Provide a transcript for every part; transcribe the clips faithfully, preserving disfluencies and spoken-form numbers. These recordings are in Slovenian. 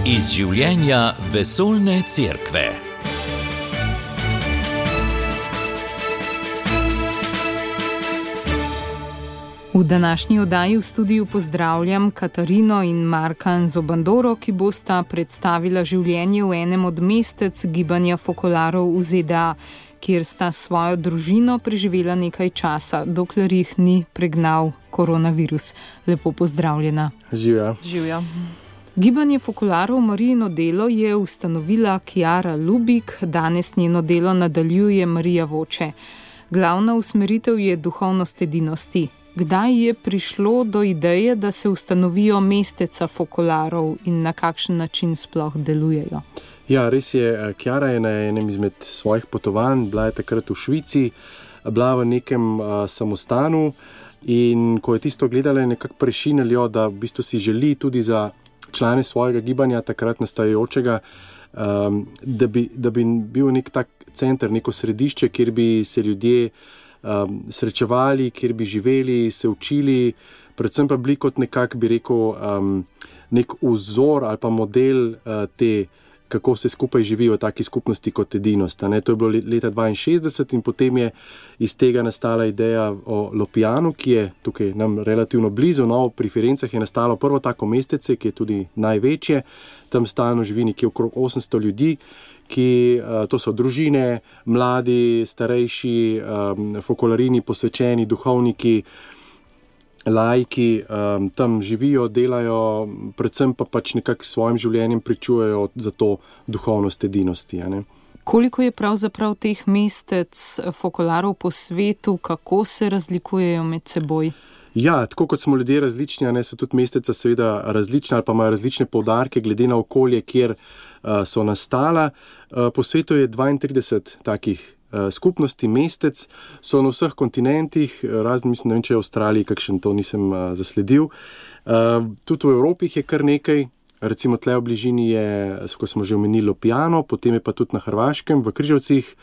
Iz življenja vesoljne cerkve. V današnji oddaji v studiu pozdravljam Katarino in Marka Nzobandoro, ki bosta predstavila življenje v enem od mestec gibanja fokolarov v Z D A, kjer sta svojo družino preživela nekaj časa, dokler jih ni pregnal koronavirus. Lepo pozdravljena. Živja. Živja. Gibanje fokolarov Marijino delo je ustanovila Chiara Lubik, danes njeno delo nadaljuje Marija Voče. Glavna usmeritev je duhovnost edinosti. Kdaj je prišlo do ideje, da se ustanovijo mesteca fokolarov in na kakšen način sploh delujejo? Ja, res je. Chiara je na enem izmed svojih potovanj, bila je takrat v Švici, bila v nekem uh, samostanu in ko je tisto gledala, je nekako prešinilo, da v bistvu si želi tudi za člane svojega gibanja, takrat nastajajočega, um, da, bi, da bi bil nek tak center, neko središče, kjer bi se ljudje um, srečevali, kjer bi živeli, se učili, predvsem pa bili kot nekak, bi rekel, um, nek vzor ali pa model uh, te, kako se skupaj živi v taki skupnosti kot edinost. Ne? To je bilo leta dvainšestdeset in potem je iz tega nastala ideja o Lopijanu, ki je tukaj nam relativno blizu, no, pri Firencah je nastalo prvo tako mestece, ki je tudi največje, tam stalno živi nekje okrog osemsto ljudi, ki, to so družine, mladi, starejši, um, fokolarini, posvečeni, duhovniki, laiki, um, tam živijo, delajo, predvsem pa pač nekako s svojim življenjem pričujejo za to duhovnost edinosti. Ne? Koliko je pravzaprav teh mestec fokolarov po svetu, kako se razlikujejo med seboj? Ja, tako kot smo ljudje različni, ne, so tudi mesteca seveda različna ali pa imajo različne poudarke glede na okolje, kjer uh, so nastala. Uh, po svetu je dvaintrideset takih uh, skupnosti, mestec, so na vseh kontinentih, razen mislim, ne vem, če je v Avstraliji, kakšen to nisem uh, zasledil. Uh, tudi v Evropi jih je kar nekaj, recimo tle v bližini je, ko smo že omenili, Lopijano, potem je pa tudi na Hrvaškem, v Križevcih.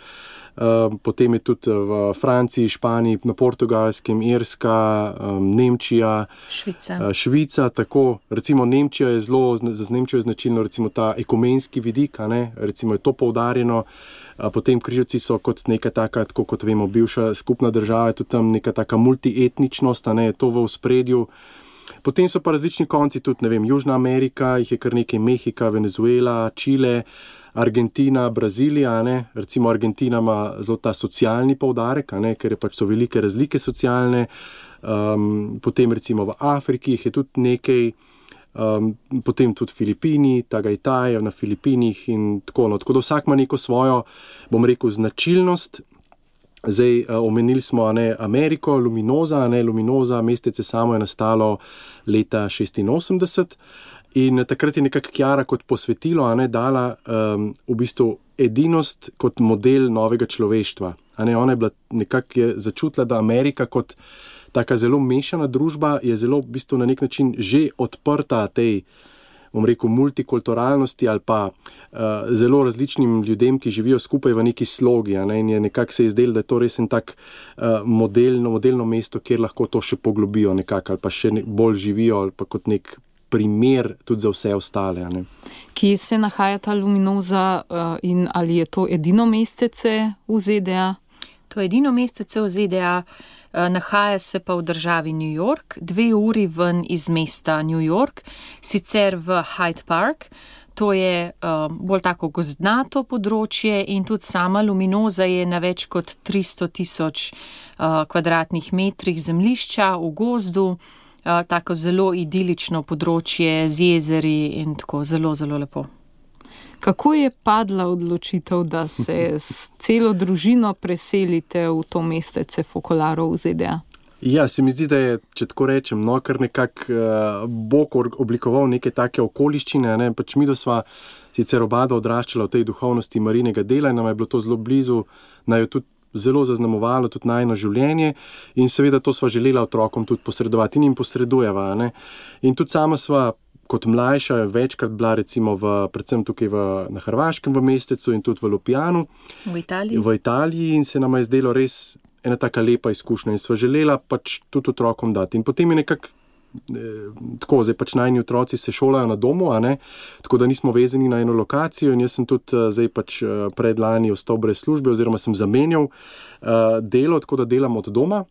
Uh, potem je tudi v Franciji, Španiji, na Portugalskem, Irska, um, Nemčija, Švica. Uh, Švica, tako, recimo Nemčija je zelo, za Nemčijo je značilno recimo ta ekumenski vidik, a ne, recimo je to poudarjeno, uh, potem Križevci so kot neka taka, tako kot vemo, bivša skupna država, tudi tam neka taka multietničnost, a ne, je to v ospredju. Potem so pa različni konci, tudi, ne vem, Južna Amerika, jih je kar nekaj, Mehika, Venezuela, Čile, Argentina, Brazilija, ne? Recimo Argentina ima zelo ta socialni poudarek, ne? Ker je pač so velike razlike socialne, um, potem recimo v Afriki jih je tudi nekaj, um, potem tudi Filipini, Tagajtaj na Filipinih in tako, no. Tako da vsak ima neko svojo, bom rekel, značilnost. Zdaj, uh, omenili smo, ne, Ameriko, Luminoza, ne, Luminoza, mestece samo je nastalo leta šestinosemdeset. In takrat je nekako Chiara kot posvetilo, a ne, dala um, v bistvu edinost kot model novega človeštva. A ne, ona je bila nekako je začutila, da Amerika kot taka zelo mešana družba je zelo v bistvu na nek način že odprta tej, bom rekel, multikulturalnosti ali pa uh, zelo različnim ljudem, ki živijo skupaj v neki slogi. A ne, in je nekako se je zdelo, da je to res en tak uh, modelno, modelno mesto, kjer lahko to še poglobijo nekako ali pa še ne, bolj živijo ali pa kot nek primer tudi za vse ostale. Ne? Kje se nahaja ta Luminoza uh, in ali je to edino mestece v Z D A? To je edino mestece v Z D A, uh, nahaja se pa v državi New York, dve uri ven iz mesta New York, sicer v Hyde Park. To je uh, bolj tako gozdnato področje in tudi sama Luminoza je na več kot tristo tisoč uh, kvadratnih metrih zemljišča v gozdu. Uh, tako zelo idilično področje z jezeri in tako zelo, zelo lepo. Kako je padla odločitev, da se s celo družino preselite v to mestece fokolarov v Z D A? Ja, se mi zdi, da je, če tako rečem, no, kar nekako uh, Bog oblikoval neke take okoliščine, ne, pač mi, da sva sicer obada odraščala v tej duhovnosti Marijinega dela in nam je bilo to zelo blizu, naj jo tudi zelo zaznamovalo tudi najino življenje in seveda to sva želela otrokom tudi posredovati in jim posredujeva. Ne? In tudi sama sva kot mlajša večkrat bila recimo v, predvsem tukaj v, na Hrvaškem v mestecu in tudi v Lopijanu. V Italiji. V Italiji in se nama je zdelo res ena taka lepa izkušnja in sva želela pač tudi otrokom dati. In potem je nekako tako, zdaj pač najni otroci se šolajo na domu, a ne, tako da nismo vezani na eno lokacijo in jaz sem tudi zdaj pač predlani ostal brez službe oziroma sem zamenjal uh, delo, tako da delam od doma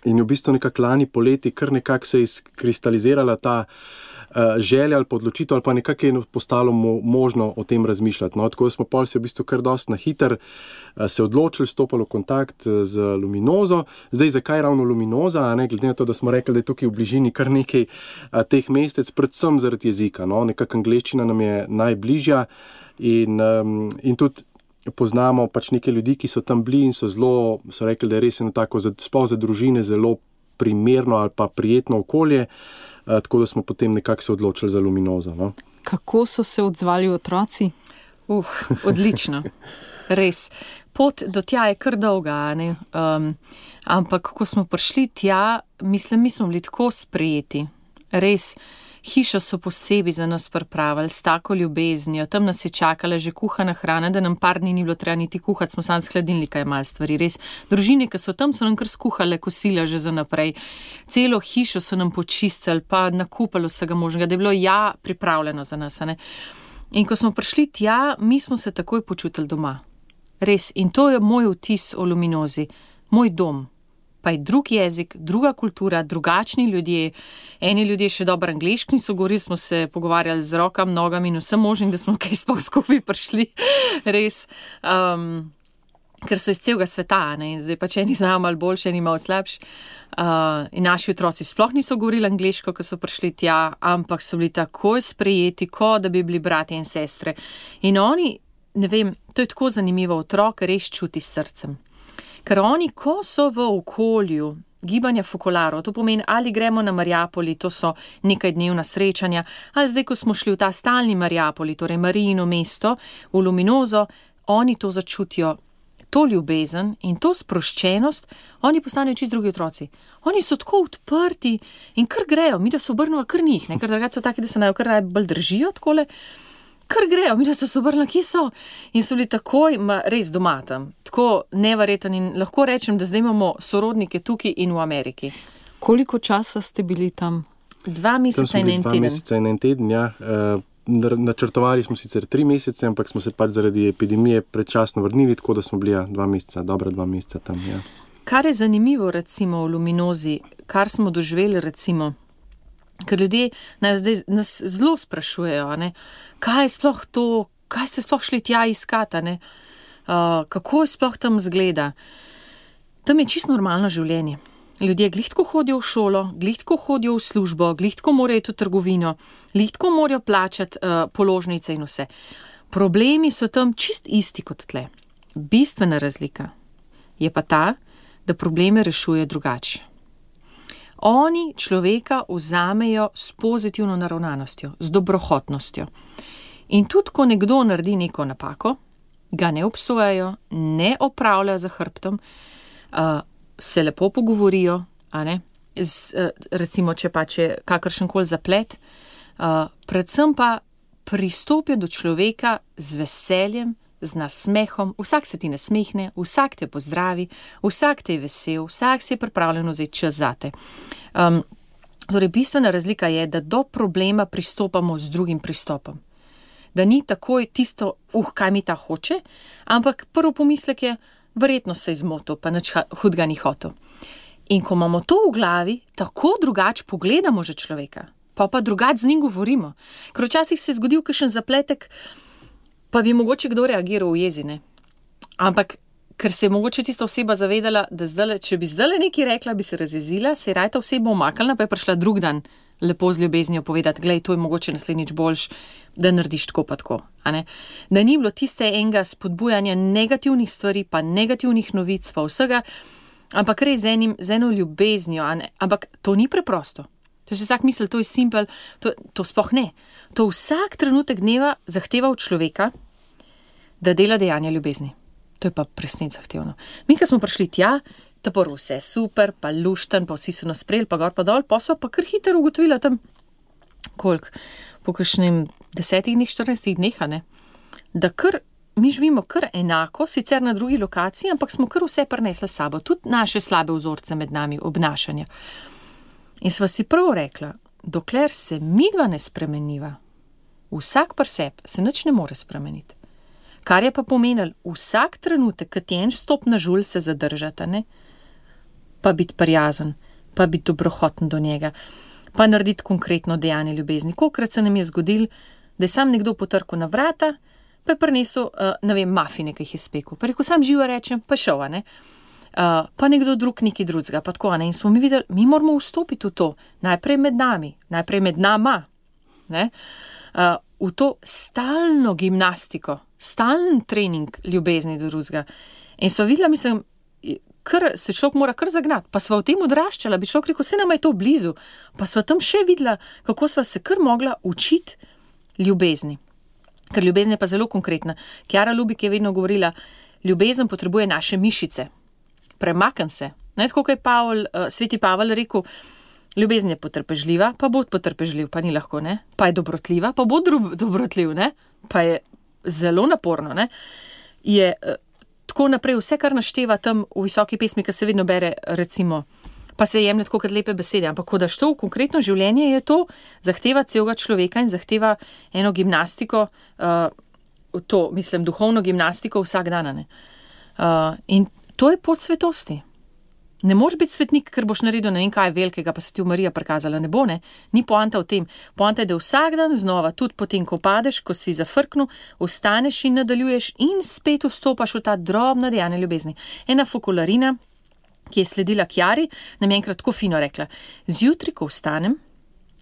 in v bistvu nekako lani poleti kar nekako se je izkristalizirala ta uh, želja ali pa odločitev ali pa nekako je postalo mo- možno o tem razmišljati. No? Tako da smo pol se v bistvu kar dosti na hiter uh, se odločili, stopili v kontakt z Luminozo. Zdaj, zakaj ravno Luminoza, a ne? Glede na to, da smo rekli, da je tukaj v bližini kar nekaj uh, teh mestec, predvsem zaradi jezika. No? Nekako angleščina nam je najbližja in, um, in tudi poznamo pač neke ljudi, ki so tam bili in so zelo, so rekli, da je res eno tako, sploh za družine, zelo primerno ali pa prijetno okolje, uh, tako da smo potem nekako se odločili za Luminozo. No? Kako so se odzvali otroci? Uh, odlično. Res. Pot do tja je kar dolga, ne? Um, ampak ko smo prišli tja, mislim, mi smo bili tako sprejeti. Res. Hišo so posebej za nas pripravili, s tako ljubeznijo, tam nas je čakala že kuhana hrana, da nam par dni ni bilo treba niti kuhati, smo sam s hladilnika imeli stvari, res. Družine, ki so tam, so nam kar skuhale kosila že za naprej. Celo hišo so nam počistili, pa nakupali vsega možnega, da je bilo ja pripravljeno za nas. Ne? In ko smo prišli tja, mi smo se takoj počutili doma. Res. In to je moj vtis o Luminozi, moj dom. Pa je drug jezik, druga kultura, drugačni ljudje. Eni ljudje še dobro angleški niso govorili, smo se pogovarjali z rokami, nogami in vsem možnim, da smo kaj sploh skupaj prišli. Res. Um, ker so iz celega sveta, ne? Zdaj pa če eni znajo malo boljše, eni malo slabši. Uh, in naši otroci sploh niso govorili angleško, ko so prišli tja, ampak so bili takoj sprejeti, kot da bi bili bratje in sestre. In oni, ne vem, to je tako zanimivo, otrok res čuti s srcem. Ker oni, ko so v okolju gibanja fokolarov, to pomeni, ali gremo na Mariapoli, to so nekaj dnevna srečanja, ali zdaj, ko smo šli v ta stalni Mariapoli, torej Marijino mesto, v Luminozo, oni to začutijo, to ljubezen in to sproščenost, oni postanejo čisto drugi otroci. Oni so tako odprti in kar grejo, mi da se obrnemo kar njih, ne? Ker drugače so taki, da se naj kar bolj držijo takole, kar grejo, mi da so se obrnili, kje so. In so bili takoj, ma, res doma tam, tako neverjeten in lahko rečem, da zdaj imamo sorodnike tukaj in v Ameriki. Koliko časa ste bili tam? Dva meseca in en dva teden. meseca in en teden, ja. Uh, načrtovali smo sicer tri mesece, ampak smo se pač zaradi epidemije predčasno vrnili, tako da smo bili ja, dva meseca, dobra dva meseca tam, ja. Kar je zanimivo recimo v Luminozi, kar smo doživeli recimo, ker ljudje nas zdaj nas zelo sprašujejo, ne, kaj je sploh to, kaj ste sploh šli tja iskati, ne, uh, kako je sploh tam zgleda. Tam je čisto normalno življenje. Ljudje glihtko hodijo v šolo, glihtko hodijo v službo, glihtko morajo iti v trgovino, glihtko morajo plačati uh, položnice in vse. Problemi so tam čist isti kot tle. Bistvena razlika je pa ta, da probleme rešuje drugače. Oni človeka vzamejo s pozitivno naravnanostjo, z dobrohotnostjo. In tudi, ko nekdo naredi neko napako, ga ne obsojajo, ne opravljajo za hrbtom, uh, se lepo pogovorijo, a ne? Z, uh, recimo, če pa če kakršenkoli zaplet, uh, predvsem pa pristopijo do človeka z veseljem, z nasmehom, vsak se ti nasmehne, vsak te pozdravi, vsak te je vesel, vsak si je pripravljen vzeti čas zate. Um, torej, bistvena razlika je, da do problema pristopamo z drugim pristopom. Da ni takoj tisto, uh, kaj mi ta hoče, ampak prvo pomislek je, verjetno se je zmotil, pa nič hudega ni hotel. In ko imamo to v glavi, tako drugače pogledamo že človeka, pa pa drugače z njim govorimo. Ker včasih se je zgodil kakšen zapletek, pa bi mogoče kdo reagiral v jezi, ne? Ampak, ker se je mogoče tista oseba zavedala, da zdale, če bi zdaj nekaj rekla, bi se razjezila, se je raje ta oseba umaknila, pa je prišla drug dan lepo z ljubeznijo povedati, glej, to je mogoče naslednjič boljš, da narediš tako pa tako, a ne? Da ni bilo tiste enega spodbujanja negativnih stvari, pa negativnih novic, pa vsega, ampak res z, enim, z eno ljubeznijo, a ne? Ampak to ni preprosto. To se vsak misli, to je simpel, to, to sploh ne. To vsak trenutek dneva zahteva od človeka, da dela dejanja ljubezni. To je pa presnet zahtevno. Mi, ko smo prišli tja, ta prvo vse super, pa lušten, pa vsi so nas sprejeli, pa gor pa dol, pa so pa kar hitro ugotovila tam, koliko, po kakšnem desetih dneh, štirinajstih dneh, ne, da kar, mi živimo kar enako, sicer na drugi lokaciji, ampak smo kar vse prinesli s sabo, tudi naše slabe vzorce med nami, obnašanja. In sva si prav rekla, dokler se midva ne spremeniva, vsak pri sebi se nič ne more spremeniti. Kar je pa pomenilo, vsak trenutek, kad ti en stop na žulj, se zadržata, ne? Pa biti prijazen, pa biti dobrohoten do njega, pa narediti konkretno dejanje ljubezni. Kolikrat se nam je zgodil, da je sam nekdo potrkal na vrata, pa je prinesel, uh, ne vem, mafine, ki jih je spekel. Pa rekel, sam živo rečem, pa šel, ne? Uh, pa nekdo drug neki drugega, pa tako, ne? In smo mi videli, mi moramo vstopiti v to, najprej med nami, najprej med nama, ne? Uh, v to stalno gimnastiko, stalen trening ljubezni do drugega. In so videla, mislim, kar se človek mora kar zagnati, pa sva v tem odraščala, bi človek rekel, vse nama je to blizu, pa sva tam še videla, kako sva se kar mogla učiti ljubezni. Ker ljubezen je pa zelo konkretna. Kjara Lubik je vedno govorila, ljubezen potrebuje naše mišice. Premakn se. Ne, tako kot je Pavel, uh, sveti Pavel rekel, ljubezen je potrpežljiva, pa bod potrpežljiv, pa ni lahko, ne? Pa je dobrotljiva, pa bod dobrotljiv, ne? Pa je zelo naporno, ne? Je uh, tako naprej, vse, kar našteva tam v visoki pesmi, ki se vedno bere, recimo, pa se jemlje tako kot lepe besede, ampak ko daš to v konkretno življenje, je to zahteva celega človeka in zahteva eno gimnastiko, uh, to, mislim, duhovno gimnastiko vsak dan, ne? Uh, in to je pot svetosti. Ne moš biti svetnik, ker boš naredil ne vem kaj velikega, pa se ti v Marija prikazala, ne bo, ne? Ni poanta v tem. Poanta je, da vsak dan znova, tudi potem, ko padeš, ko si zafrknil, vstaneš in nadaljuješ in spet vstopaš v ta drobna dejanja ljubezni. Ena Focolarina, ki je sledila Kjari, nam je enkrat tako fino rekla, zjutraj, ko vstanem,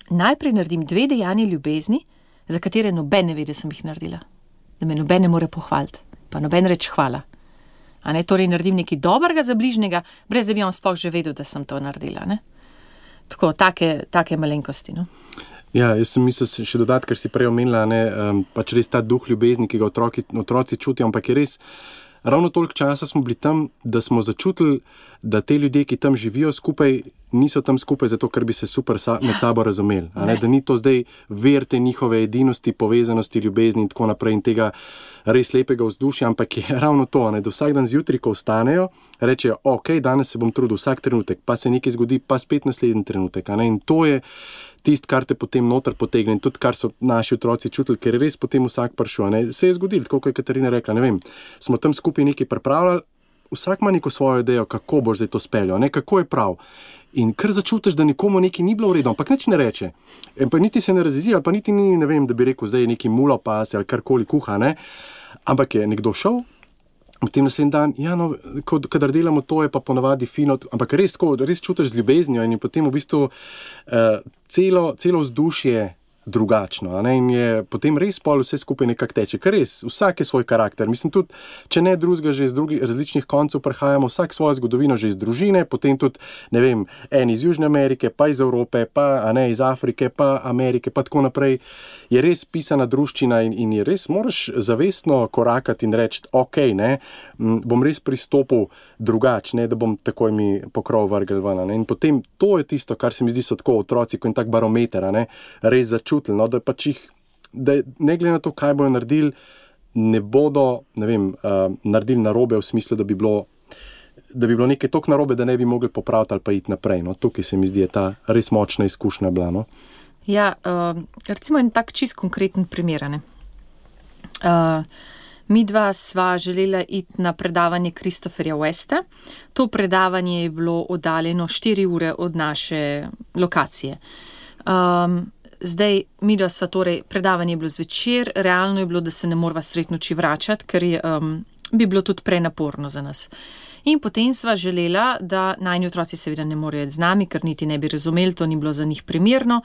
najprej naredim dve dejanje ljubezni, za katere noben ne ve, da sem jih naredila. Da me noben ne more pohvaliti, pa noben reče hvala. A ne, torej naredim nekaj dobrega za bližnjega, brez da bi on sploh že vedel, da sem to naredila, ne? Tako, take, take malenkosti, no? Ja, jaz sem mislil še dodati, ker si prej omenila, ne, um, pač res ta duh ljubezni, ki ga otroki, otroci čutijo, ampak je res, ravno toliko časa smo bili tam, da smo začutili, da te ljudje, ki tam živijo skupaj, niso tam skupaj zato, ker bi se super sa, med sabo razumeli. A ne? Da ni to zdaj ver te njihove edinosti, povezanosti, ljubezni in tako naprej in tega res lepega vzdušja, ampak je ravno to, ne? Da vsak dan zjutraj, ko vstanejo, rečejo, ok, danes se bom trudil vsak trenutek, pa se nekaj zgodi, pa spet naslednji trenutek. A ne? In to je tisto, kar te potem noter potegne in tudi, kar so naši otroci čutili, ker je res potem vsak prišel. Ne? Se je zgodilo, tako kot je Katarina rekla, ne vem, smo tam skupaj nekaj pripravljali, vsak ima neko svojo idejo, kako boš zdaj to speljal, ne? Kako je prav. In kar začutiš, da nikomu nekaj ni bilo v redu, ampak nič ne reče. In pa niti se ne razjezi, ali pa niti ni, ne vem, da bi rekel, zdaj neki mulo pa se ali karkoli kuha, ne. Ampak je nekdo šel, potem naslednji dan, ja, no, kadar delamo to, je pa ponavadi fino, ampak res tako, res čutiš z ljubeznijo in je potem v bistvu uh, celo, celo vzdušje drugačno, a ne, in je potem res pol vse skupaj nekako teče, ker res, vsak je svoj karakter, mislim tudi, če ne drugega, že iz drugih različnih koncev prihajamo, vsak svojo zgodovino že iz družine, potem tudi, ne vem, en iz Južne Amerike, pa iz Evrope, pa, a ne, iz Afrike, pa Amerike, pa tako naprej, je res pisana druščina in, in je res, moraš zavestno korakati in reči, ok, ne, bom res pristopil drugač, ne, da bom takoj mi pokrov vrgel ven, ne, in potem to je tisto, kar se mi zdi so tako otroci, ko je tak barometer, ne, res začutili, no, da pač jih, da ne glede na to, kaj bojo naredili, ne bodo, ne vem, uh, naredili narobe v smislu, da bi bilo, da bi bilo nekaj toliko narobe, da ne bi mogli popraviti ali pa iti naprej, no, tukaj se mi zdi, je ta res močna izkušnja bila, no. Ja, uh, recimo en tak čist konkreten primer, ne. Uh, mi dva sva želela iti na predavanje Christopherja Westa. To predavanje je bilo oddaljeno štiri ure od naše lokacije. Um, Zdaj, mi dva sva torej, predavanje je bilo zvečer, realno je bilo, da se ne morava sred noči vračati, ker je, um, bi bilo tudi prenaporno za nas. In potem sva želela, da najni otroci seveda ne morejo z nami, ker niti ne bi razumeli, to ni bilo za njih primerno,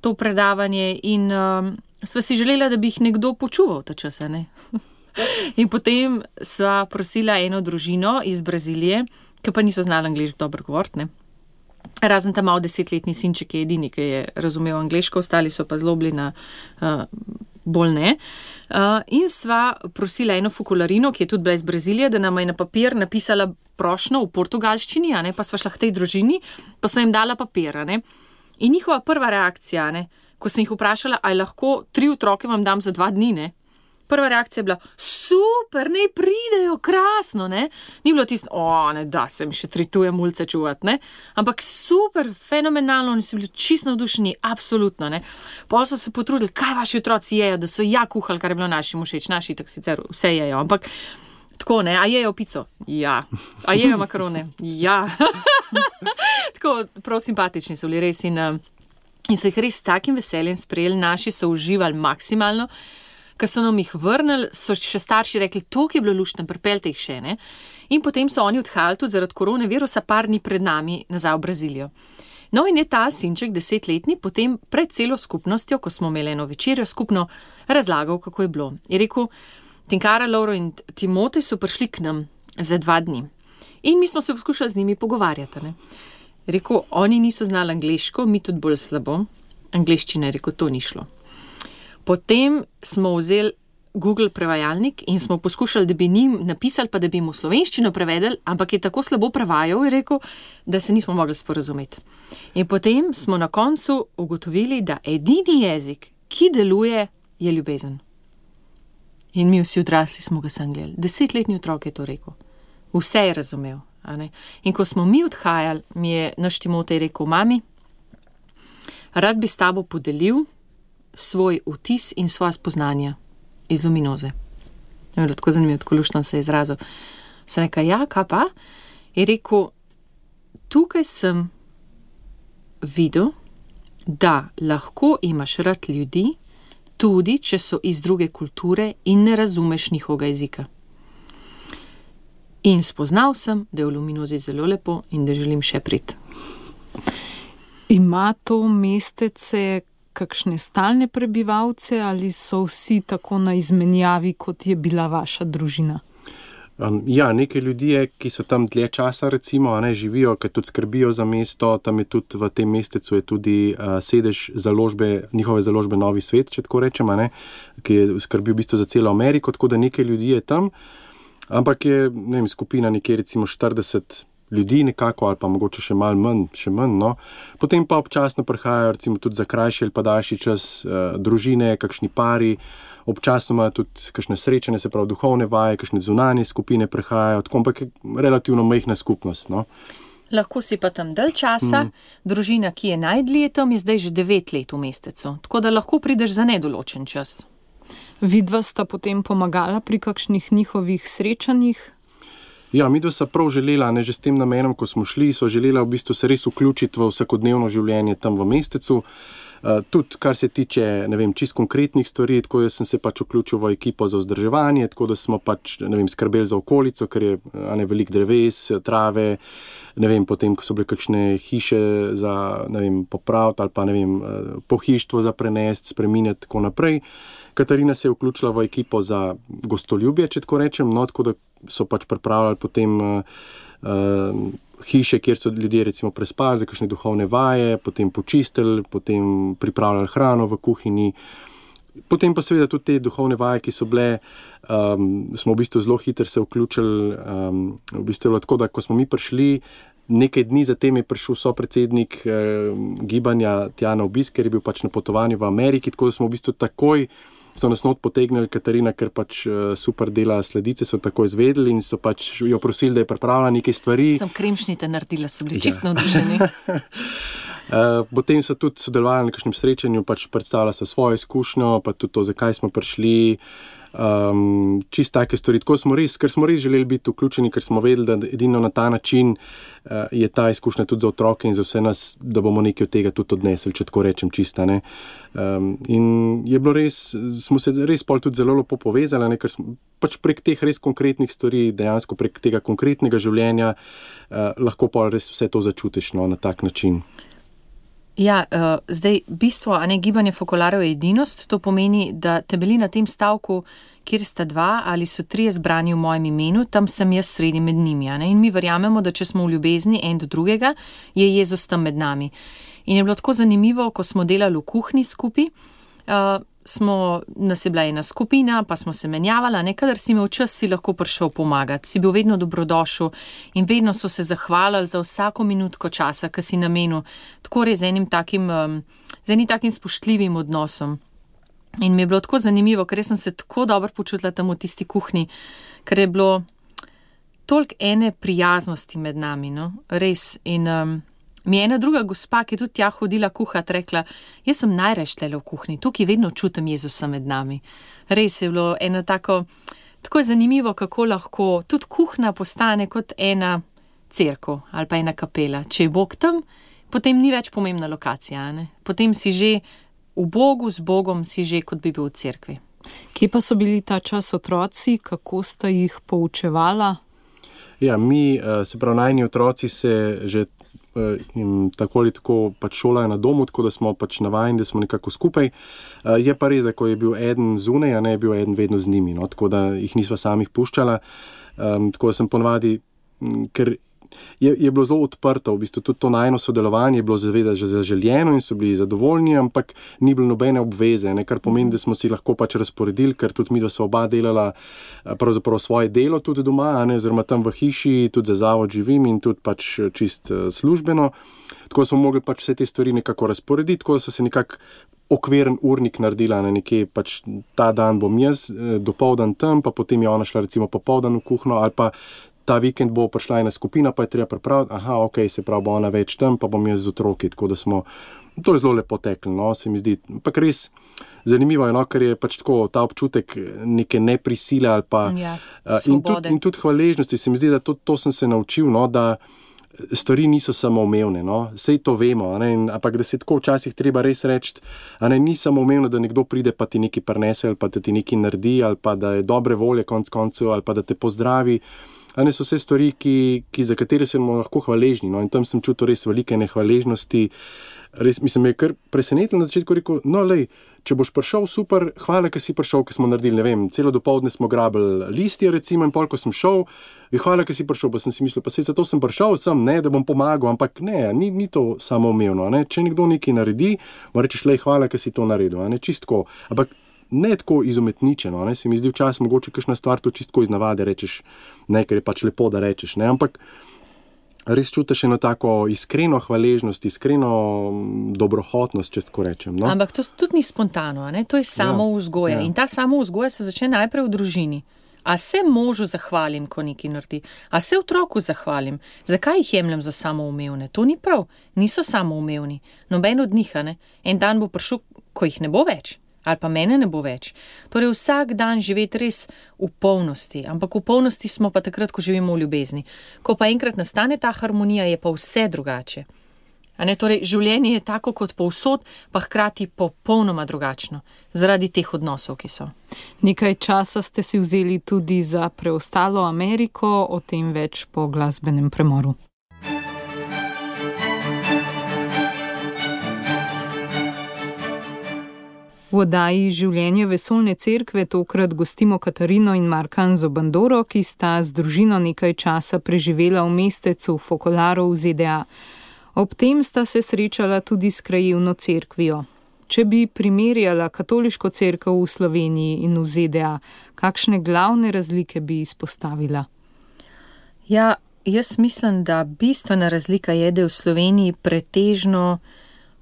to predavanje in um, sva si želela, da bi jih nekdo počuval ta čas, ne? In potem sva prosila eno družino iz Brazilije, ki pa niso znali angleško dobro govoriti, ne? Razen ta malo desetletni sinček je edini, ki je razumel angleško, ostali so pa zelo bili na uh, bolj ne. Uh, in sva prosila eno Focolarino, ki je tudi bila iz Brazilije, da nama je na papir napisala prošnjo v portugalščini, a ne, pa sva šla k tej družini, pa sva jim dala papir, a ne. In njihova prva reakcija, ne, ko sem jih vprašala, ali lahko tri otroke vam dam za dva dni, ne, prva reakcija je bila, super, ne pridejo, krasno, ne. Ni bilo tisto, o, ne da se mi še trituje mulce čuvati, ne. Ampak super, fenomenalno, oni so bili čisto navdušeni, absolutno, ne. Potem so se potrudili, kaj vaši otroci jejo, da so ja kuhali, kar je bilo našim všeč, naši tak sicer vse jejo, ampak tako, ne, a jejo pico? Ja. A jejo makarone? Ja. Tako, prav simpatični so bili res in, in so jih res s takim veseljem sprejeli, naši so uživali maksimalno. Ko so nam jih vrnili, so še starši rekli, toliko je bilo luštno, pripeljte jih še, ne. In potem so oni odhajali tudi zaradi koronavirusa par dni pred nami nazaj v Brazilijo. No in je ta sinček desetletni potem pred celo skupnostjo, ko smo imeli eno večerjo skupno, razlagal, kako je bilo. Je rekel, Tinkara, Lauro in Timotej so prišli k nam za dva dni. In mi smo se poskušali z njimi pogovarjati, ne. Je rekel, oni niso znali angleško, mi tudi bolj slabo. Angleščina, je rekel, to ni šlo. Potem smo vzeli Google prevajalnik in smo poskušali, da bi njim napisali, pa da bi jim v slovenščino prevedeli, ampak je tako slabo prevajal, je rekel, da se nismo mogli sporazumeti. In potem smo na koncu ugotovili, da edini jezik, ki deluje, je ljubezen. In mi vsi odrasli smo ga sam gledali. Desetletni otrok je to rekel. Vse je razumel. A ne? In ko smo mi odhajali, mi je naš Timotej rekel, mami, rad bi s tabo podelil svoj vtis in svoja spoznanja iz luminoze. Je bilo tako zanimivo, tako luštno se je izrazil. Sem rekel, ja, kaj pa? Je rekel, tukaj sem videl, da lahko imaš rad ljudi, tudi če so iz druge kulture in ne razumeš njihovega jezika. In spoznal sem, da je v luminozi zelo lepo in da želim še priti. Ima to mestece kakšne stalne prebivalce ali so vsi tako na izmenjavi, kot je bila vaša družina? Um, ja, nekaj ljudi je, ki so tam dlje časa, recimo, a ne, živijo, ki tudi skrbijo za mesto, tam je tudi v tem mestecu je tudi uh, sedež založbe, njihove založbe Novi svet, če tako rečem, a ne, ki je skrbel v bistvu za celo Ameriko, tako da nekaj ljudi je tam, ampak je, ne vem, skupina nekje recimo štirideset ljudi nekako, ali pa mogoče še malo manj, še manj, no. Potem pa občasno prihajajo recimo tudi za krajši ali pa daljši čas uh, družine, kakšni pari, občasno imajo tudi kakšne srečanje, se pravi duhovne vaje, kakšne zunanje skupine prihajajo, tako, ampak je relativno majhna skupnost, no. Lahko si pa tam dalj časa, mm. družina, ki je najdlje tam, je zdaj že devet let v mestecu, tako da lahko prideš za nedoločen čas. Vidva sta potem pomagala pri kakšnih njihovih srečanjih? Ja, midva sta prav želela, ne, že s tem namenom, ko smo šli, sva želela v bistvu se res vključiti v vsakodnevno življenje tam v mestecu. Uh, tudi, kar se tiče, ne vem, čist konkretnih stvari, tako jaz sem se pač vključil v ekipo za vzdrževanje, tako da smo pač, ne vem, skrbeli za okolico, ker je, a ne, veliko dreves, trave, ne vem, potem, ko so bile kakšne hiše za, ne vem, popraviti ali pa, ne vem, pohištvo za prenesti, spreminjati, tako naprej. Katarina se je vključila v ekipo za gostoljubje, če tako rečem, no, tako da so pač pripravljali potem uh, uh, hiše, kjer so ljudje recimo prespali za kakšne duhovne vaje, potem počistili, potem pripravljali hrano v kuhinji. Potem pa seveda tudi te duhovne vaje, ki so bile, um, smo v bistvu zelo hitro se vključili, um, v bistvu je bilo tako, da ko smo mi prišli, nekaj dni zatem je prišel sopredsednik eh, gibanja tja na obisk, ker je bil pač na potovanju v Ameriki, tako da smo v bistvu takoj so nas not potegnili Katarina, ker pač uh, super dela sledice, so tako izvedeli in so pač jo prosili, da je pripravila nekaj stvari. Sem kremšnite naredila, so bili ja. Čisto navdušeni. Uh, potem so tudi sodelovali na kakšnem srečanju, pač predstavila so svojo izkušnjo, pa tudi to, zakaj smo prišli. Um, čist take stvari, tako smo res, ker smo res želeli biti vključeni, ker smo vedeli, da edino na ta način uh, je ta izkušnja tudi za otroke in za vse nas, da bomo nekaj od tega tudi odnesli, če tako rečem čista, ne. Um, in je bilo res, smo se res pol tudi zelo lepo povezali, ne, ker smo pač prek teh res konkretnih stvari, dejansko prek tega konkretnega življenja uh, lahko pol res vse to začutiš, no, na tak način. Ja, uh, zdaj bistvo, a ne, gibanje fokolarjev je edinost, to pomeni, da temelji na tem stavku, kjer sta dva ali so trije zbrani v mojem imenu, tam sem jaz sredi med njimi, a ne, in mi verjamemo, da če smo v ljubezni en do drugega, je Jezus tam med nami. In je bilo tako zanimivo, ko smo delali v kuhinji skupaj, uh, smo, nas je bila ena skupina, pa smo se menjavala, ne, kadar si imel čas, si lahko prišel pomagati, si bil vedno dobrodošel in vedno so se zahvalili za vsako minutko časa, ki si namenil, tako res z enim takim, um, z enim takim spoštljivim odnosom. In mi je bilo tako zanimivo, ker sem se tako dobro počutila tam v tisti kuhinji, ker je bilo toliko ene prijaznosti med nami, no, res. In um, mi je ena druga gospa, ki je tudi tja hodila kuhat, rekla, jaz sem najrajš tlele v kuhinji, tukaj vedno čutim Jezusa med nami. Res je bilo eno tako, tako je zanimivo, kako lahko tudi kuhna postane kot ena cerkev ali pa ena kapela. Če je Bog tam, potem ni več pomembna lokacija, ne? Potem si že v Bogu, z Bogom si že, kot bi bil v cerkvi. Kje pa so bili ta čas otroci, kako sta jih poučevala? Ja, mi, se pravi, najni otroci se že in tako ali tako pač šolajo na domu, tako da smo pač navajeni, da smo nekako skupaj. Je pa res, da ko je bil eden zunaj, a ne je bil eden vedno z njimi, no? Tako da jih nisva samih puščala. Um, tako da sem ponavadi, ker je, je bilo zelo odprto, v bistvu tudi to najno sodelovanje je bilo zaveda že zaželjeno in so bili zadovoljni, ampak ni bilo nobene obveze, ne? Kar pomeni, da smo si lahko pač razporedili, ker tudi mi, da so oba delala pravzaprav svoje delo tudi doma, a ne? Oziroma tam v hiši, tudi za zavod živim in tudi pač čist službeno. Tako smo mogli pač vse te stvari nekako razporediti, tako da so se nekako okviren urnik naredila, ne, nekje pač ta dan bom jaz, dopoldan tam, pa potem je ona šla recimo popoldan v kuhno, ali pa ta vikend bo prišla ena skupina, pa je treba pripraviti, aha, ok, se pravi, bo ona več tam, pa bom jaz z otroki, tako da smo, to je zelo lepo teklo, no, se mi zdi, ampak res zanimivo je, no, ker je pač tako ta občutek neke neprisile ali pa Ja, in, tudi, in tudi hvaležnosti, se mi zdi, da to, to sem se naučil, no, da stvari niso samoumevne, no, sej to vemo, a ne, in, ampak da se tako včasih treba res reči, a ne, ni samoumevno, da nekdo pride pa ti nekaj prinese ali pa da ti nekaj naredi ali pa da je dobre volje konc koncev ali pa da te pozdravi, a ne, so vse stvari, ki, ki za katere smo lahko hvaležni, no, in tam sem čutil res velike nehvaležnosti, res, mislim, me je kar presenetilo na začetku, rekel, no, lej, če boš prišel, super, hvala, ker si prišel, ker smo naredili, ne vem, celo dopoldne smo grabili listje, recimo, in pol, ko sem šel, je hvala, ker si prišel, pa sem si mislil, pa sej zato sem prišel sem, ne, da bom pomagal, ampak ne, ni, ni to samoumevno, ne, če nekdo nekaj naredi, mu rečeš, lej, hvala, ker si to naredil, ne, čistko, ampak ne tako izumetničeno, ne, se mi zdi včasih mogoče kakšna stvar, to čistko iz navade rečeš, ne, ker je pač lepo, da rečeš, ne, ampak res čutiš eno tako iskreno hvaležnost, iskreno dobrohotnost, če tako rečem. No? Ampak to tudi ni spontano, ne? To je samo vzgoja. Ja, ja. In ta samo vzgoja se začne najprej v družini. A se možu zahvalim, ko nekaj naredi? A se otroku zahvalim? Zakaj jih jemljem za samoumevne? To ni prav. Niso samoumevni. Noben od njih, ne? En dan bo prišel, ko jih ne bo več. Ali pa mene ne bo več. Torej vsak dan živeti res v polnosti, ampak v polnosti smo pa takrat, ko živimo v ljubezni. Ko pa enkrat nastane ta harmonija, je pa vse drugače. A ne, torej življenje je tako kot povsod, pa hkrati popolnoma drugačno, zaradi teh odnosov, ki so. Nekaj časa ste si vzeli tudi za preostalo Ameriko, o tem več po glasbenem premoru. V oddaji Življenje vesoljne cerkve tokrat gostimo Katarino in Markan Zobandoro, ki sta z družino nekaj časa preživela v mestecu Focolare v Z D A. Ob tem sta se srečala tudi s krajevno cerkvijo. Če bi primerjala katoliško cerkev v Sloveniji in v Z D A, kakšne glavne razlike bi izpostavila? Ja, jaz mislim, da bistvena razlika je, da je v Sloveniji pretežno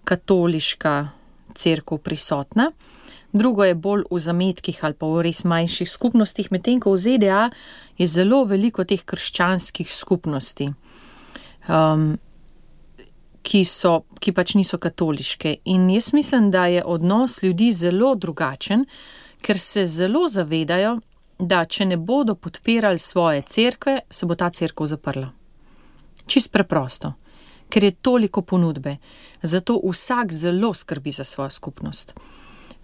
katoliška cerkev prisotna, drugo je bolj v zametkih ali pa v res manjših skupnostih, medtem ko v Z D A je zelo veliko teh krščanskih skupnosti, um, ki, so, ki pač niso katoliške. In jaz mislim, da je odnos ljudi zelo drugačen, ker se zelo zavedajo, da če ne bodo podpirali svoje cerkve, se bo ta cerkev zaprla. Čist preprosto. Ker je toliko ponudbe. Zato vsak zelo skrbi za svojo skupnost.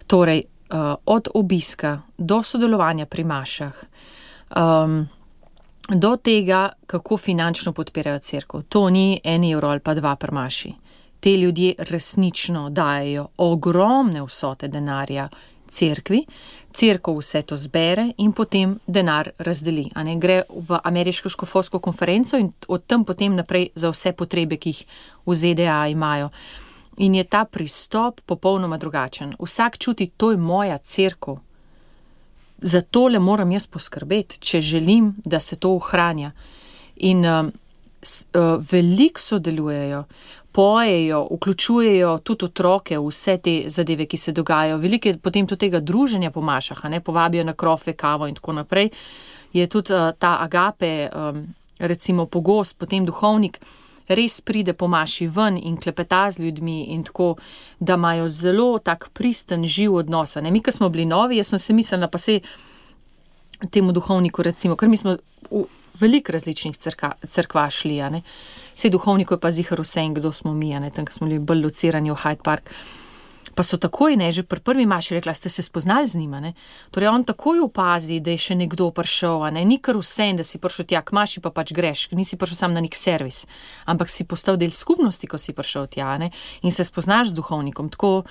Torej, uh, od obiska do sodelovanja pri mašah, um, do tega, kako finančno podpirajo cerkev. To ni en evro ali pa dva pri maši. Te ljudje resnično dajejo ogromne vsote denarja cerkvi, cerkev vse to zbere in potem denar razdeli. A ne, gre v ameriško škofovsko konferenco in od tam potem naprej za vse potrebe, ki jih v Z D A imajo. In je ta pristop popolnoma drugačen. Vsak čuti, to je moja cerkev. Za tole moram jaz poskrbeti, če želim, da se to ohranja. In um, s, uh, veliko sodelujejo. pojejo, vključujejo tudi otroke v vse te zadeve, ki se dogajajo. Veliko je potem tudi tega druženja po mašah, a ne, povabijo na krofe, kavo in tako naprej. Je tudi uh, ta agape, um, recimo pogost, potem duhovnik, res pride po maši ven in klepeta z ljudmi in tako, da imajo zelo tak pristen, živ odnos. Ne? Mi, ko smo bili novi, jaz sem se mislila, pa se temu duhovniku recimo, ker mi smo v veliko različnih crka, crkva šli, a ne. Vse duhovniku je pa zihar vse in kdo smo mi, a ne, tam, ko smo bili bolj locirani v Hyde Park. Pa so takoj, ne, že pri prvi maši rekla, ste se spoznali z njima, ne. Torej on takoj opazi, da je še nekdo prišel, a ne, ni kar vse, da si prišel tja k maši, pa pač greš, nisi prišel sam na nek servis, ampak si postal del skupnosti, ko si prišel tja, ne, in se spoznaš z duhovnikom, tako.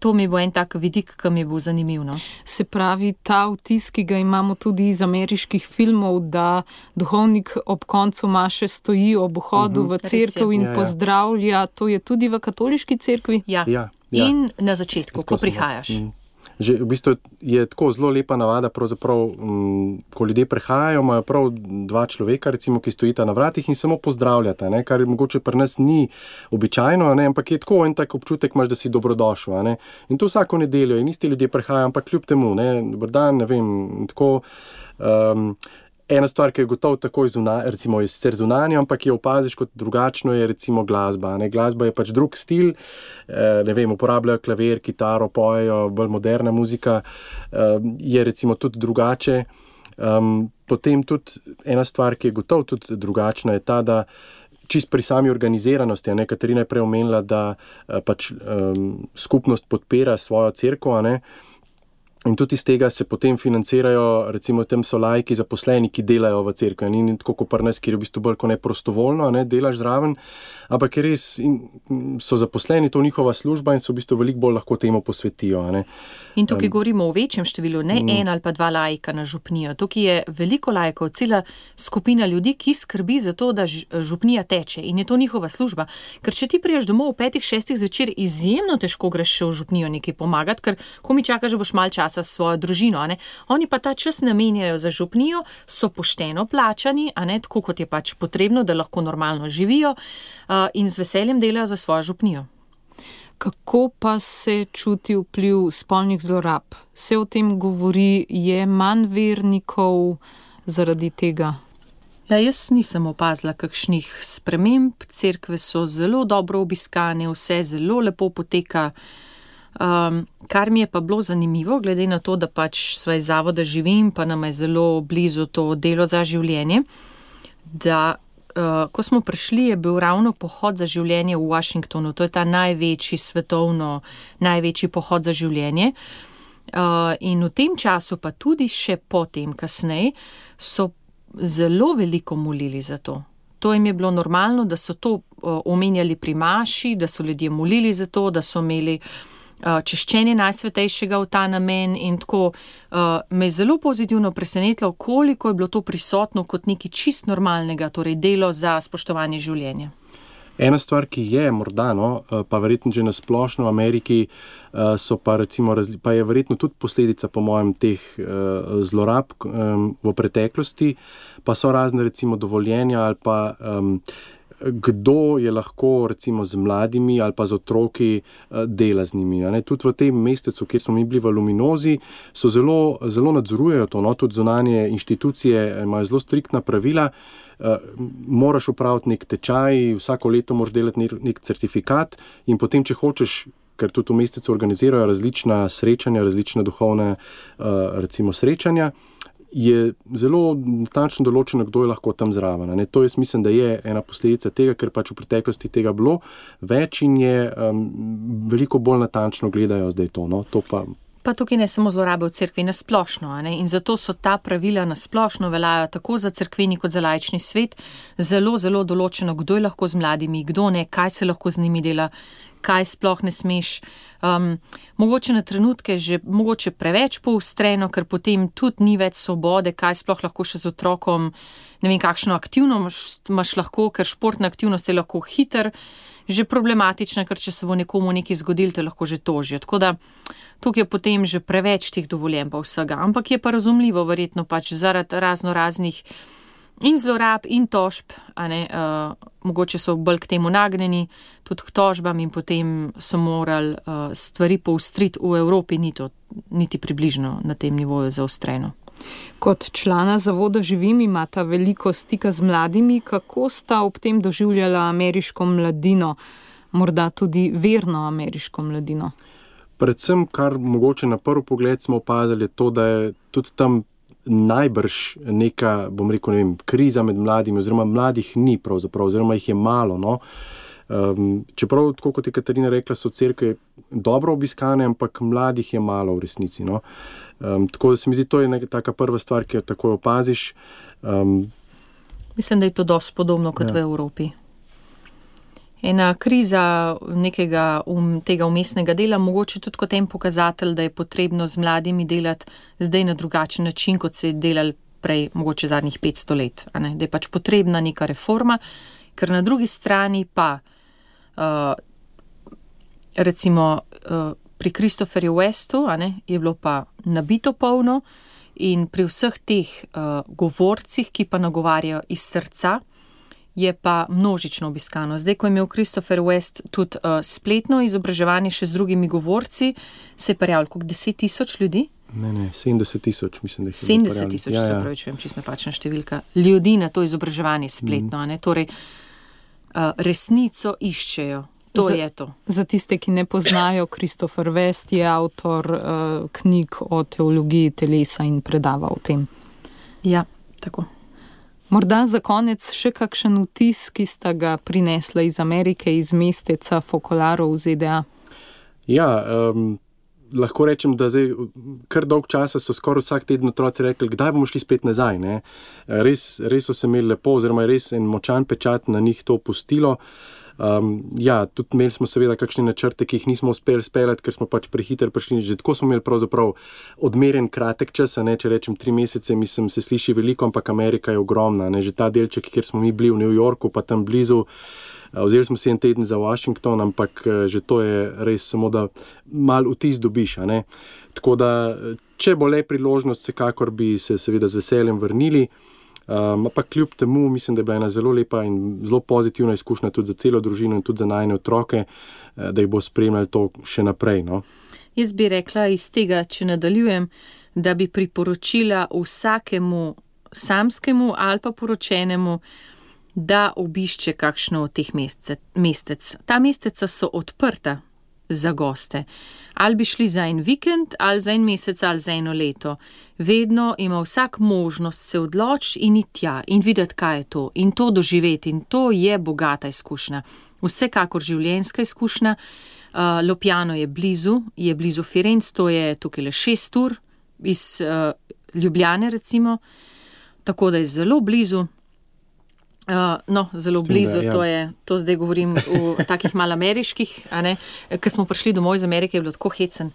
To mi bo en tak vidik, ki mi bo zanimiv. No? Se pravi, ta vtis, ki ga imamo tudi iz ameriških filmov, da duhovnik ob koncu maše stoji ob vhodu uh-huh. v cerkev in ja, pozdravlja, to je tudi v katoliški cerkvi? Ja, ja, ja. In na začetku, ko prihajaš. Mm. Že v bistvu je tako zelo lepa navada, pravzaprav, um, ko ljudje prehajajo, imajo prav dva človeka, recimo, ki stojita na vratih in samo pozdravljata, ne, kar mogoče pri nas ni običajno, ne, ampak je tako en tak občutek imaš, da si dobrodošel, ne. In to vsako nedeljo in isti ljudje prehajajo, ampak kljub temu, ne, dober dan, ne vem, tako. Um, Ena stvar, ki je gotovo takoj zunanja, recimo je sicer zunanja, ampak je opaziš kot drugačno, je recimo glasba. Ne? Glasba je pač drug stil, ne vem, uporabljajo klavir, kitaro, pojejo, bolj moderna muzika, je recimo tudi drugače. Potem tudi ena stvar, ki je gotovo tudi drugačna, je ta, da čist pri sami organiziranosti, a ne, Katarina je prej omenila, da pač um, skupnost podpira svojo cerkev, a ne. In tudi iz tega se potem financirajo, recimo tem so lajki zaposleni, ki delajo v cerkvi. Ni tako kot pri nas, kjer je v bistvu bolj kot ne prostovoljno, ne, delaš zraven, ampak je res, so zaposleni, to njihova služba in so v bistvu veliko bolj lahko temu posvetijo. Ne. In tukaj um, govorimo o večjem številu, ne um, en ali pa dva lajka na župnijo. Tukaj je veliko lajkov, cela skupina ljudi, ki skrbi za to, da župnija teče in je to njihova služba. Ker če ti priješ domov v petih, šestih zvečer, izjemno težko greš še v župnijo nekaj pomagati, ker ko mi čakaš, da boš mal časa s svojo družino, a ne. Oni pa ta čas namenjajo za župnijo, so pošteno plačani, a ne, tako kot je pač potrebno, da lahko normalno živijo uh, in z veseljem delajo za svojo župnijo. Kako pa se čuti vpliv spolnih zlorab? Se o tem govori, je manj vernikov zaradi tega? Ja, jaz nisem opazila kakšnih sprememb, cerkve so zelo dobro obiskane, vse zelo lepo poteka. Um, kar mi je pa bilo zanimivo, glede na to, da pač svoj zavoda živim, pa nam je zelo blizu to delo za življenje, da uh, ko smo prišli, je bil ravno pohod za življenje v Washingtonu, to je ta največji svetovno, največji pohod za življenje. Uh, in v tem času, pa tudi še potem kasneje, so zelo veliko molili za to. To jim je bilo normalno, da so to uh, omenjali pri maši, da so ljudje molili za to, da so imeli češčenje najsvetejšega v ta namen in tako uh, me je zelo pozitivno presenetilo, koliko je bilo to prisotno kot nekaj čist normalnega, torej delo za spoštovanje življenja. Ena stvar, ki je morda, no, pa verjetno že na splošno v Ameriki, so pa recimo, pa je verjetno tudi posledica po mojem teh zlorab v preteklosti, pa so razne recimo dovoljenja ali pa um, kdo je lahko recimo z mladimi ali pa z otroki dela z njimi. Ne? Tudi v tem mestecu, kjer smo mi bili v Luminozi, so zelo, zelo nadzorujejo to, no? Tudi zunanje inštitucije imajo zelo striktna pravila. Uh, moraš upraviti nek tečaj, vsako leto moraš delati nek, nek certifikat in potem, če hočeš, ker tudi v mestecu organizirajo različna srečanja, različna duhovne uh, recimo srečanja, je zelo natančno določeno, kdo je lahko tam zraven. Ne? To jaz mislim, da je ena posledica tega, ker pač v preteklosti tega bilo več in je um, veliko bolj natančno gledajo zdaj to. No? To pa... Pa tukaj ne samo zlorabe v cerkvi, nasplošno, a ne? In zato so ta pravila nasplošno veljajo tako za cerkveni kot za laični svet, zelo, zelo določeno, kdo je lahko z mladimi, kdo ne, kaj se lahko z njimi dela, kaj sploh ne smeš. Um, mogoče na trenutke že mogoče preveč poostreno, ker potem tudi ni več svobode, kaj sploh lahko še z otrokom, ne vem, kakšno aktivno imaš lahko, ker športna aktivnost je lahko hiter, že problematična, ker če se bo nekomu nekaj zgodil, te lahko že tožijo. Tako da tukaj je potem že preveč teh dovoljen pa vsega. Ampak je pa razumljivo verjetno pač zaradi razno raznih in zlorab, in tožb, a ne, uh, mogoče so bolj k temu nagnjeni, tudi k tožbam in potem so morali uh, stvari poustriti. V Evropi ni to niti približno na tem nivoju zaostreno. Kot člana zavoda Živim imata veliko stika z mladimi. Kako sta ob tem doživljala ameriško mladino, morda tudi verno ameriško mladino? Predvsem, kar mogoče na prvi pogled smo opazili, je to, da je tudi tam najbrž neka, bom rekel, ne vem, kriza med mladimi, oziroma mladih ni pravzaprav, oziroma jih je malo, no. Um, čeprav, tako kot je Katarina rekla, so cerkve dobro obiskane, ampak mladih je malo v resnici, no. Um, tako da se mi zdi, to je neka taka prva stvar, ki jo takoj opaziš. Um, Mislim, da je to dosti podobno kot ja. v Evropi. Ena kriza nekega um, tega umestnega dela, mogoče tudi kot en pokazatelj, da je potrebno z mladimi delati zdaj na drugačen način, kot se je delali prej, mogoče zadnjih petsto let. A ne? Da je pač potrebna neka reforma, ker na drugi strani pa uh, recimo uh, pri Christopherju Westu, a ne, je bilo pa nabito polno in pri vseh teh uh, govorcih, ki pa nagovarjajo iz srca, je pa množično obiskano. Zdaj, ko je imel Christopher West tudi uh, spletno izobraževanje še z drugimi govorci, se je prijavilo koliko deset tisoč ljudi? Ne, ne, sedemdeset tisoč, mislim, da je sedemdeset tisoč, ja, ja. Se pravi, čujem, čisto napačna številka. Ljudi na to izobraževanje spletno, mm. a ne, torej uh, resnico iščejo. To za, je to. Za tiste, ki ne poznajo, Christopher West je avtor uh, knjig o teologiji telesa in predava o tem. Ja, tako. Morda za konec še kakšen vtis, ki sta ga prinesla iz Amerike, iz mesteca Focolaro v Z D A? Ja, um, lahko rečem, da zdaj kar dolg časa so skoraj vsak teden otroci rekli, kdaj bomo šli spet nazaj. Ne? Res, res so se imeli lepo, oziroma res en močan pečat na njih to pustilo. Um, ja, tudi imeli smo seveda kakšne načrte, ki jih nismo uspeli speljati, ker smo pač prehiter prišli. Že tako smo imeli pravzaprav odmeren kratek čas, ne, če rečem tri mesece, mislim, se sliši veliko, ampak Amerika je ogromna. Ne. Že ta delček, kjer smo mi bili v New Yorku, pa tam blizu, vzeli smo si en teden za Washington, ampak že to je res samo, da malo vtis dobiš. Ne. Tako da, če bo le priložnost, vsekakor bi se seveda z veseljem vrnili. Um, ampak kljub temu mislim, da je bila ena zelo lepa in zelo pozitivna izkušnja tudi za celo družino in tudi za najine otroke, da jih bo spremljali to še naprej. No? Jaz bi rekla iz tega, če nadaljujem, da bi priporočila vsakemu samskemu ali pa poročenemu, da obišče kakšno od teh mestec. Ta mesteca so odprta za goste. Ali bi šli za en vikend, ali za en mesec, ali za eno leto. Vedno ima vsak možnost se odločiti in iti tja in videti, kaj je to. In to doživeti. In to je bogata izkušnja. Vsekakor življenjska izkušnja. Uh, Lopjano je blizu, je blizu Firenc, to je tukaj le šest ur iz uh, Ljubljane recimo. Tako da je zelo blizu. Uh, no, zelo Stim, blizu, da, ja. to je, to zdaj govorim v takih malo ameriških, a ne, ker smo prišli domov iz Amerike, je bilo tako hecen,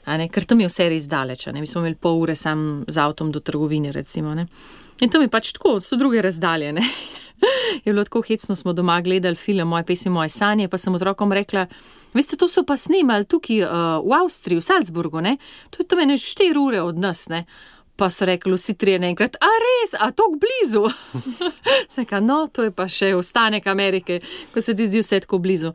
a ne, ker tam je vse res daleč, a ne, mi smo imeli pol ure sam z avtom do trgovine, recimo, ne, in tam je pač tako, so druge razdalje, ne, je bilo tako hecno, smo doma gledali film Moje pesmi, moje sanje, pa sem otrokom rekla, veste, to so pa snemali tukaj uh, v Avstriji, v Salzburgu, ne, to je tam ene štiri ure od nas, ne. Pa so rekli vsi trije naenkrat, a res, a tok blizu? Seka, no, to je pa še ostanek Amerike, ko se ti zdi vse tako blizu.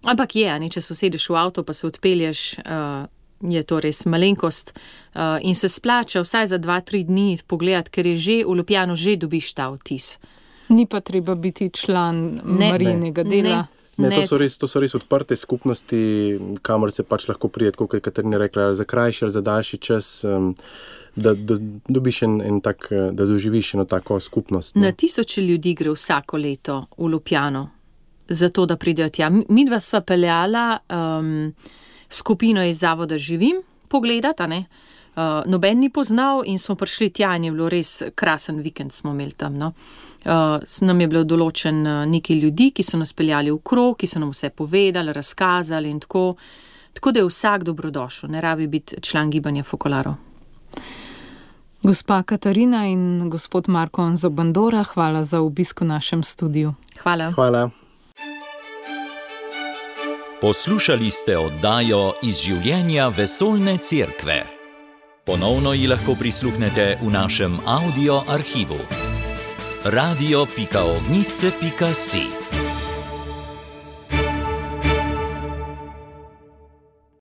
Ampak je, ne, če se usedeš v avto, pa se odpelješ, uh, je to res malenkost uh, in se splača vsaj za dva, tri dni pogledati, ker je že v Ljubljano že dobiš ta vtis. Ni pa treba biti član ne, Marijinega dela. Ne. Ne, to so, res, to so res odprte skupnosti, kamor se pač lahko prijeti, kot je Katarina rekla, za krajši ali za daljši čas, um, da, da dobiš en, en tak, da doživiš eno tako skupnost. No. Na tisoče ljudi gre vsako leto v Ljubljano, zato da pridejo tja. Mi dva sva peljala um, skupino iz zavoda Živim pogledati, ne? Uh, noben ni poznal in smo prišli tja in je bilo res krasen vikend smo imeli tam, no. Uh, nam je bilo določen uh, nekaj ljudi, ki so nas peljali v krog, ki so nam vse povedali, razkazali in tako. Tako da je vsak dobrodošel, ne rabi biti član gibanja Focolaro. Gospa Katarina in gospod Marko Zobandora, hvala za obisk v našem studiu. Hvala. Hvala. Poslušali ste oddajo Iz življenja vesoljne cerkve. Ponovno ji lahko prisluhnete v našem audio arhivu. radio pika ognisce pika si.